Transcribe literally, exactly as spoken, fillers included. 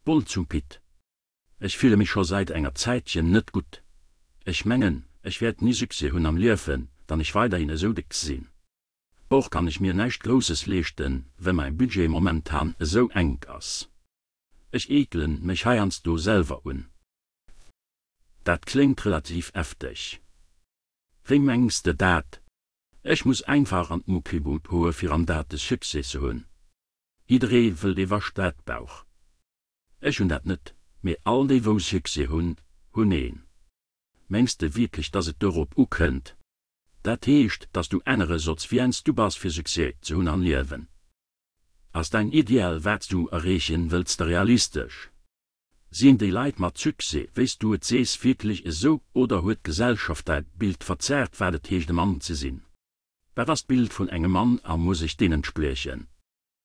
Boll zum Pit. Ech fille mech scho säit enger Zäitchen net gutt. Ech mengen, ech wäert ni Succès hunn am Liewen, wann ech weiderhin esou déck sinn. Och kann ech mir näischt Grousses leeschten, well mäi Budget momentan esou enk ass. Ech eekelen mech heiansdo selwer un. Dat kléngt relativ hefteg. Wéi mengs de dat? Ech muss einfach an d'Muckibut goe fir an dat de Succès ze hunn. Jidderee wëll de Waschbrettbauch. Ech hunn dat net, mee all déi wou Succès hunn, hunn een. Mengs de wierklech dass et dorop ukënnt? Dat heescht, dass du ännere solls wien s du bass fir Succès ze hunn am Liewen. Ass däin Ideal wat s du erreechen wëlls realistesch? Sinn déi Leit mat Succès, wéi s du et sees wierklech esou oder huet d'Gesellschaft dat Bild verzerrt wat et heescht e Mann ze sinn? Wat ass d'Bild vun engem Mann a muss ech deem entspriechen?